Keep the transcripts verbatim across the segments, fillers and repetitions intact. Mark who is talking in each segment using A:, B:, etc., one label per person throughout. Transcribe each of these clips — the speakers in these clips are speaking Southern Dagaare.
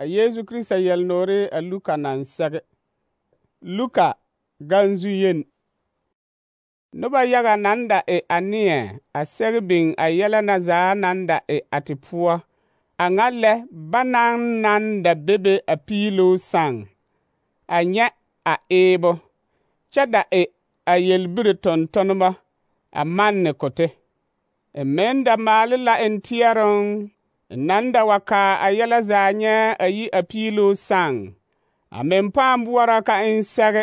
A: A Yesu Krista yelnoore a Luka naŋ sɛge. Luka ganzu yen. Noba yaga naŋ da e a neɛ a sɛge biŋ a yɛlɛ na zaa naŋ da e a te poɔ. A ŋa lɛ banaŋ naŋ da bebe a piiluu saŋ, a nyɛ a eebo, kyɛ da e a yelbiri tontoneba a manne kote. E meŋ da maale la en teɛroŋ, naŋ da wa kaa a yɛlɛ zaa nyɛ a yi a piiluu saŋ. A meŋ pãã boɔra ka en sɛge,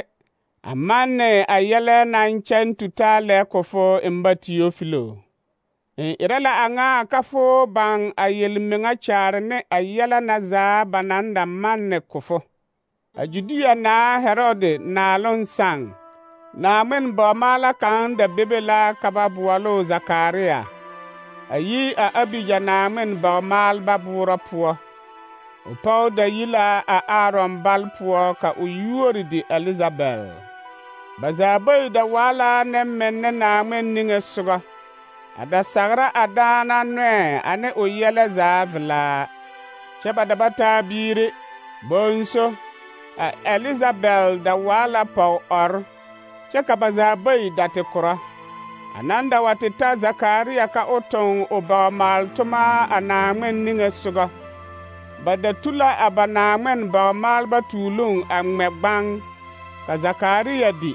A: a manne a yɛlɛ naŋ kyɛŋ tutaa lɛ ko fo en ba Teofilo. En erɛ la a ŋa ka fo baŋ a yelmeŋa kyaare ne a yɛlɛ na zaa ba naŋ da manne ko fo. A Judea naa Herode naaloŋ saŋ, Naaŋmen bɔɔmaala kaŋ da bebe la ka ba boɔloo Zakaria, a yi a Abija Naaŋmen bɔɔmaalba boorɔ poɔ. O pɔge da yi la a Aaron bal poɔ ka o yuori di Elizabɛl. Ba zaa bayi da waa la nemmenne Naaŋmen niŋe sogɔ, a da sagra a daana nɔɛ ane o yɛlɛ zaa velaa. Kyɛ ba da ba taa biiri, bonso, a Elizabɛl da waa la pɔge-ɔr, kyɛ ka ba zaa bayi da te korɔ. A naŋ da wa te ta Zakaria ka o toŋ o bɔɔmaal-toma a Naaŋmen niŋe sogɔ. Ba da tu la a ba Naaŋmen bɔɔmaalba tuuluŋ a ŋmɛ gbaŋ, ka Zakaria di,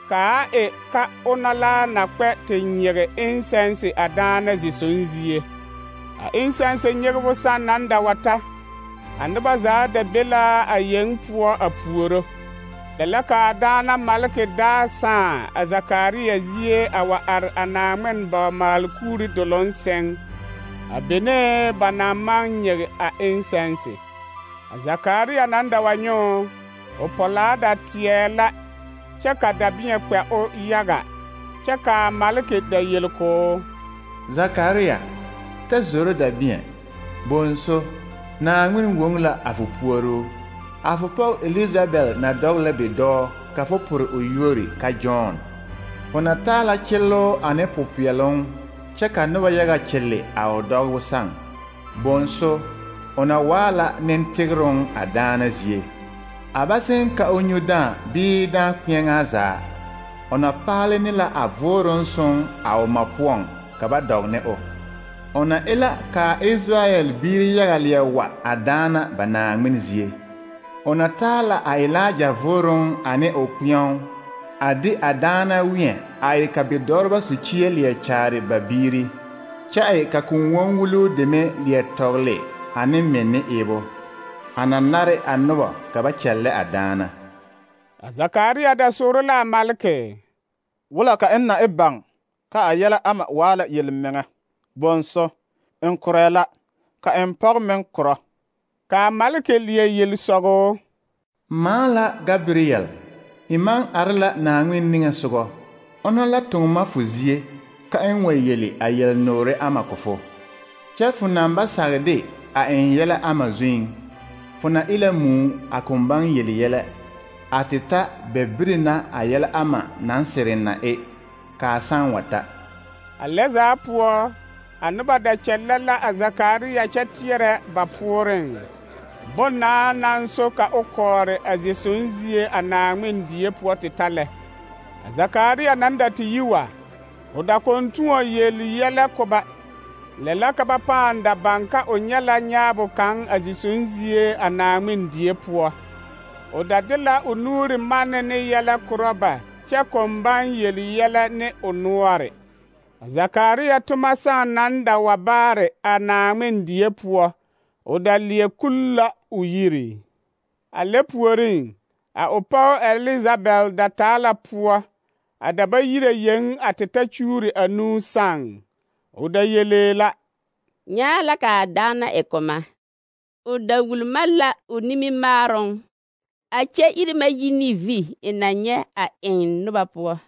A: kaa e ka ona la na kpɛ te nyege insɛnse a daana zisoŋ zie. A insɛnse nyegebo sãn naŋ da wa ta, a noba zaa da be la a yeŋ poɔ a puoro. Lɛ la ka a daana maleke daa sãã a Zakaria zie a wa are a Naaŋmen bɔɔmaal kuuri doloŋ sɛŋ, a benee ba naŋ maŋ nyege a insɛnse. A Zakaria naŋ da wa nyoo, o pɔlaa da teɛ la, kyɛ ka dabẽɛ kpɛ o yaga, kyɛ ka a maleke da yel koo:
B: Zakaria, ta zoro dabẽɛ, bonso, Naaŋmen woŋ la a fo puoruu. A fo pɔge Elizabɛl na dɔg la bidɔɔ ka fo pore o yuori ka Jɔn. Fo na taa la kyelloo ane popeɛloŋ, kyɛ ka noba yaga kyelle a o dɔgebo sãŋ. Bonso, o na waa la nentegeroŋ a daana zie. A ba seŋ ka o nyu dãã bii dãã kpeɛŋaa zaa. O na paale ne la a vooroŋ soŋ a o ma poɔŋ ka ba dɔg ne o. O na e la ka a Israyɛl biiri yaga leɛ wa a daana ba Naaŋmen zie. O na taa la a Elaaja vooroŋ ane o kpeɛo, a de a daana wẽɛ a e ka bidɔreba sukyie leɛ kyaare ba biiri, kyɛ e ka kõn-wonwuluu deme leɛ tɔgle ane menne eebo. A na nare a noba ka ba kyɛllɛ a daana.
A: A Zakaria da sooro la a maleke:
C: Wula ka n na e baŋ ka a yɛlɛ ama waa la yelmeŋa. Bonso, n korɛɛ la, ka n pɔge meŋ korɔ.
A: Ka a maleke leɛ yel sɔgoo:
B: Maa la Gabriel, i maŋ are la Naaŋmen niŋe sogɔ. Ona la toŋ ma fo zie, ka n wa yeli a yelnoore ama ko fo. Kyɛ fo naŋ ba sagde a en yɛlɛ ama zuiŋ. Fo na e la muu a kõn baŋ yeli yɛlɛ, a te ta bɛbiri na a yɛlɛ ama naŋ sireŋ na e, kaa sãn wa ta.
A: A lɛ zaa poɔ, a noba da kyɛllɛ la a Zakaria kyɛ teɛrɛ ba pooreŋ. Bonnaa naŋ so ka o kɔɔre a zisoŋ zie a Naaŋmen die poɔ te ta lɛ. A Zakaria naŋ da te yi wa, o da kɔŋ tõɔ yel yɛlɛ ko ba. Lɛ la ka ba pãã da baŋ ka o nyɛ la nyaabo kaŋ a zisoŋ zie a Naaŋmen die poɔ. O da de la o nuuri manne ne yɛlɛ korɔ ba, kyɛ kɔŋ baŋ yel yɛlɛ ne o noɔre. A Zakaria toma sãn naŋ da wa baare a Naaŋmen die poɔ, o da leɛ kul la o yiri. A lɛ puoriŋ, a o pɔge Elizabɛl da taa la poɔ, a da ba yire yeŋ a te ta kyuuri anuu sãŋ. O da yelee la:
D: Nyaa la ka a daana e koma. O da wulma la o nimimaaroŋ, a kyɛ iri ma yi ne vi e na nyɛ a eŋ noba poɔ.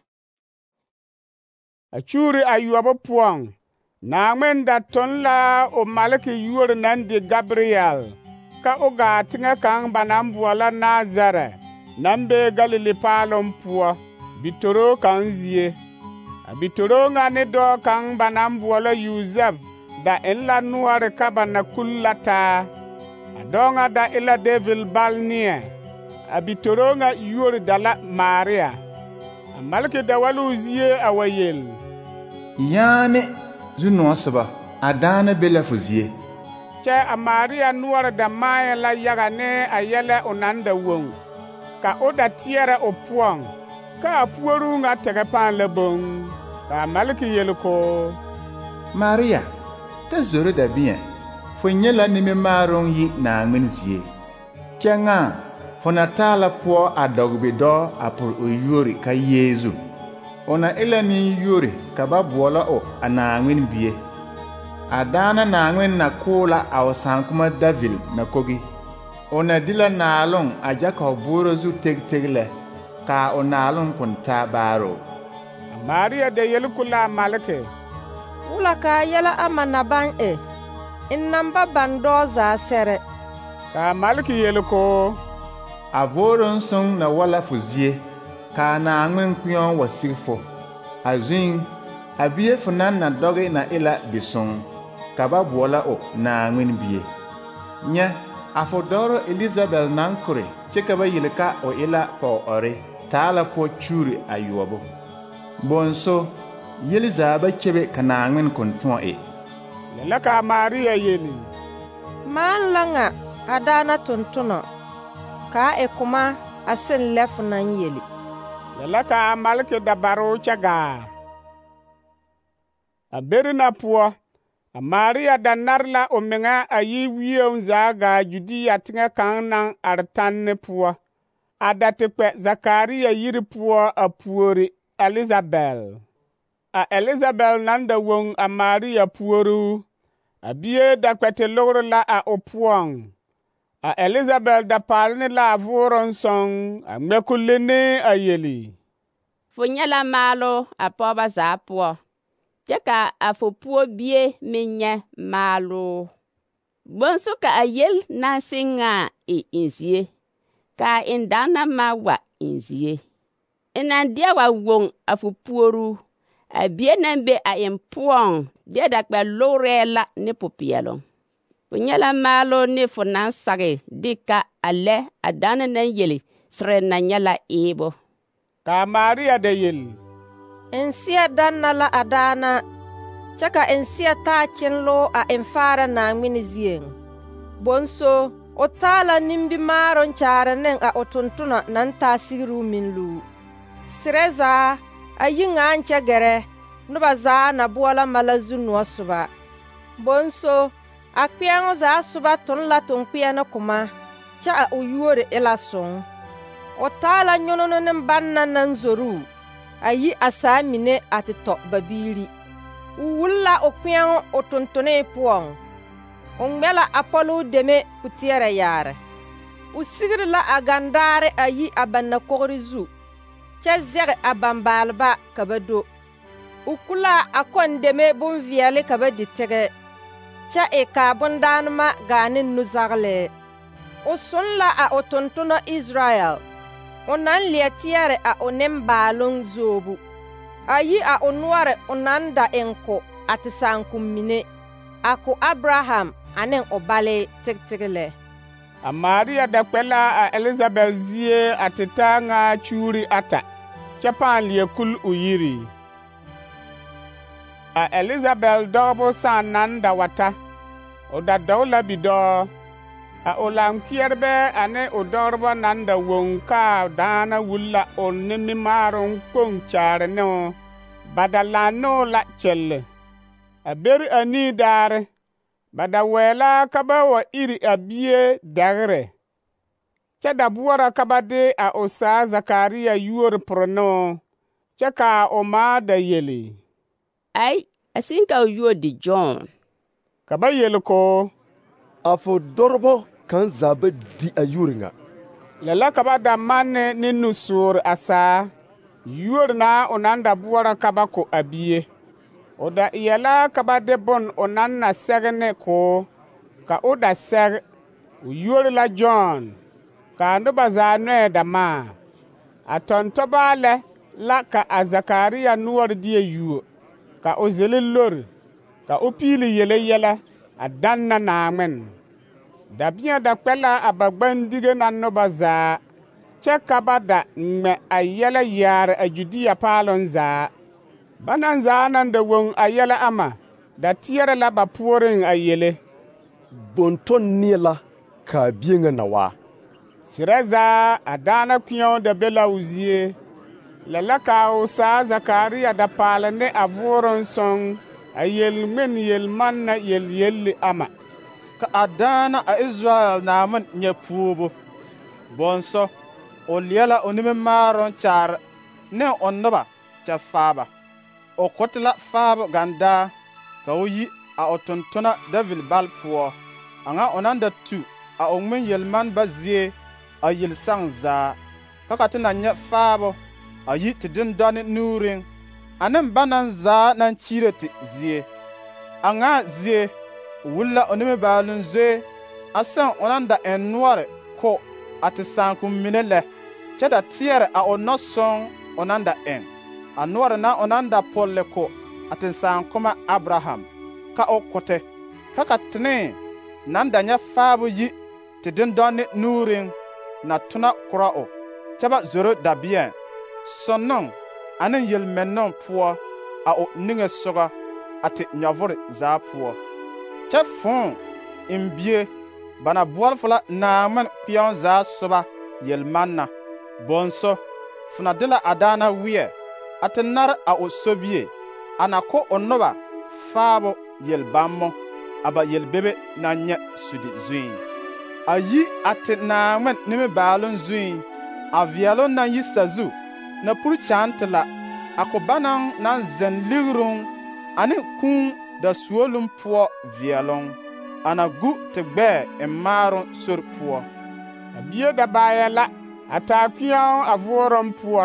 A: A kyuuri ayɔbo poɔŋ, Naaŋmen da toŋ la o maleke yuori naŋ di Gabriel, ka o gaa teŋɛ kaŋ ba naŋ boɔlɔ Nazarɛ, naŋ be Galili paaloŋ poɔ, bitoroo kaŋ zie. A bitoroo ŋa ne dɔɔ kaŋ ba naŋ boɔlɔ Yusɛf da en la noɔre ka ba na kul la taa. A A dɔɔ ŋa da e la David bal neɛ. A bitoro ŋa yuori da la Maria. A maleki da wa l'o zie a wa yel:
B: Yaane zu-noɔ soba, a daana be la fo zie.
A: Kyɛ a Maria noɔre da maayɛ la yaga ne a yɛlɛ o naŋ da woŋ, ka o da teɛrɛ o poɔŋ, ka a puoruu ŋa tɛgɛ pãã la boŋ. Ka a maleki yel k'o:
B: Maria, ta zoro dabẽɛ, fo nyɛ la nimimaaroŋ yi Naaŋmen zie. Kyɛ ŋa fo na taa la poɔ a dɔg-bi-dɔɔ a pore o yuori ka Yeezu. O na e la nen-yuori ka ba boɔlɔ o a Naaŋmen bie. A daana Naaŋmen na koo la a o sããkoma David na kogi. O na di la naaloŋ a Jakob booro zu teg-teg lɛ, kaa o naaloŋ kõn taa baaroo.
A: A Maria da yel ko la a maleki:
E: Wula kaa yɛlɛ ama na baŋ e, n naŋ ba baŋ dɔɔ zaa sɛrɛ.
A: Ka a maleki yel k'o:
B: A vooroŋ sõŋ na wa la fo zie, kaa Naaŋmen kpeoŋ wa sig fo. A zuiŋ, a bie fo naŋ na dɔge na e la bisõŋ, ka ba boɔlɔ o Naaŋmen bie. Nyɛ, a fo dɔgro Elizabɛl naŋ kore kyɛ ka ba yele ka o e la pɔg-ɔre, taa la pɔɔ kyuuri ayuobo. Bonso, yeli zaa ba kyebe ka Naaŋmen kõn tõɔ e.
A: Lɛ la ka a Maria yeli:
E: Maan la ŋa a daana tontonɔ, kaa e koma a sen lɛ fo naŋ yeli.
A: Lɛ la ka a maleki da baroo kyɛ gaa. A beri na poɔ, a Maria da nare la o meŋa a yi wieŋ zaa gaa Judia teŋɛ kaŋ naŋ are tanne poɔ, a da te kpɛ Zakaria yiri poɔ a puori Elizabɛl. A Elizabɛl naŋ da woŋ a Maria puoruu, a bie da kpɛ te logre la a o poɔŋ. A Elizabɛl da paale ne la a vooroŋ sõŋ a ŋmɛ kulene a yeli:
D: Fo nyɛ la maalo a pɔgeba zaa poɔ, kyɛ ka a fo puo bie meŋ nyɛ maalo. Bonsu ka a yel naŋ seŋ ŋa e in zie, ka a in daana ma wa in zie. E naŋ deɛ wa woŋ a fo puoruu, a bie naŋ be a in poɔŋ deɛ da kpɛ logrɛɛ la ne popeɛloŋ. Fo nyɛ la maalo ne fo naŋ sage de ka a lɛ a daana naŋ yeli sere na nyɛ la eebo.
A: Ka a Maria da yel:
E: N seɛ danna la a daana, kyɛ ka n seɛ taa kyenloo a n faara Naaŋmen zieŋ. Bonso, o taa la nimbimaaroŋ kyaare ne a o tontonɔ naŋ taa sigiruu meŋ luu. Serɛ zaa, a yi ŋaaŋ kyɛ gɛrɛ, noba zaa na boɔlɔ ma la zu-noɔ soba. Bonso, a kpeɛŋo zaa soba toŋ la toŋkpeɛne koma, kyɛ a o yuori e la soŋ. O taa la nyonono ne banna naŋ zoruu, a yi a saa mine a te tɔ ba biiri. O wuli la o kpeɛŋo o tontonee poɔŋ. O ŋmɛ la a pɔloo deme puteɛrɛ yaare. O sigiri la a gandaare a yi a ba nakogri zu, kyɛ zɛge a bambaaleba ka ba do. O ku la a kɔndeme bonveɛle ka ba di tɛgɛ, kyɛ e kaa bondaanema gaa ne nuzagelɛɛ. O son la a o tontonɔ Israel, o naŋ leɛ teɛrɛ a o nembaaloŋ zoobu. A yi a o noɔre o naŋ da eŋ ko a te saakom mine, a ko Abraham ane o bale teg-teg lɛ.
A: A Maria da kpɛ la a Elizabɛl zie a te taa ŋa kyuuri ata, kyɛ pãã leɛ kul o yiri. A Elizabɛl dɔgebo sãã naŋ da wa ta, o da dɔg la bidɔɔ. A o laŋkpeɛrebɛ ane o dɔgeba naŋ da woŋ kaa daana wuli la o nimimaaroŋ kpoŋ kyaare ne o, ba da laŋ ne o la kyelle. A beri anii daare, ba da wɛɛ la ka ba wa iri a bie dɛgre, kyɛ da boɔrɔ ka ba de a o saa Zakaria yuori pore ne o, kyɛ kaa o maa da yeli:
D: Ai, a seŋ ka o yuo di John.
A: Ka ba yeli ko:
F: A fo dɔrɔbɔ kaŋ zaa ba di a yuori ŋa.
A: Lɛ la ka ba da manne ne nusuure a saa, yuori na o naŋ da boɔrɔ ka ba ko a bie. O da eɛ la ka ba de bon o naŋ na sɛge ne koo, ka o da sɛge, o yuori la John, kaa noba zaa nɔɛ da maa. A tɔntɔbaa lɛ la ka a Zakaria noɔre deɛ yuo, ka o zele lori, ka o piili yele yɛlɛ a danna Naaŋmen. Dabẽa da kpɛ la a ba gbandige na noba zaa, kyɛ ka ba da ŋmɛ a yɛlɛ yaare a Judea paaloŋ zaa. Bana zaa naŋ da woŋ a yɛlɛ ama, da teɛrɛ la ba puoriŋ a yele:
F: Bonton neɛ la kaa bie ŋa na waa.
A: Serɛ zaa a daana kpeɛo da be la o zie. Lɛ la kaa o saa Zakaria da paale ne a vooroŋ soŋ a yel ŋmen yelmanna yelyelli ama.
C: Ka a daana a Israel Naamen nyɛ puobo. Bõnsõ, o leɛ la o nimimaaroŋ kyaare ne o noba kyɛ faaba. O kote la faabo gandaa ka o yi a o tontona David bal poɔ, a ŋa o naŋ da tu a o ŋmen yelmanba zie a yelsaŋ zaa, ka ka te na nyɛ faabo a yi te dendɔne nuuriŋ, ane banaŋ zaa naŋ kyiire te zie. A ŋa zie o wuli la o nimibaaloŋ zoe a sẽn o naŋ da eŋ noɔre ko a te sããkom mine lɛ, kyɛ da teɛrɛ a o nɔsɔŋ o naŋ da eŋ, a noɔre na o naŋ da pɔlle ko a te sããkoma Abraham, ka o kote, ka ka tenee naŋ da nyɛ faabo yi te dendɔne nuuriŋ na tona korɔ o, kyɛ ba zoro dabeɛŋ, sɔnnoŋ ane yelmɛnnoŋ poɔ a o niŋe sogɔ a te nyɔvore zaa poɔ. Kyɛ fõõ eŋ bie ba na boɔle fo la Naaŋmen kpeɛŋ zaa soba yelmanna. Bõnsõ, fo na de la a daana weɛ a te nare a o sobie, a na ko o noba faabo yelbammo a ba yelbebe naŋ nyɛ sudi zuiŋ. A yi a te Naaŋmen nimibaaloŋ zuiŋ, a veɛloŋ naŋ yi sazu na puri kyããne te la, a ko banaŋ naŋ zeŋ ligiruŋ ane kũũ da suoluŋ poɔ veɛloŋ, a na gu te gbɛɛ eŋ maaroŋ sori poɔ.
A: A bie da baayɛ la a taa kpeɛo a vooroŋ poɔ,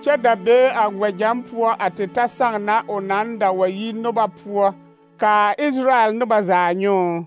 A: kyɛ da bee a wɛgyɛŋ poɔ a te ta saŋ na o naŋ da wa yi noba poɔ kaa Israel noba zaa nyõo.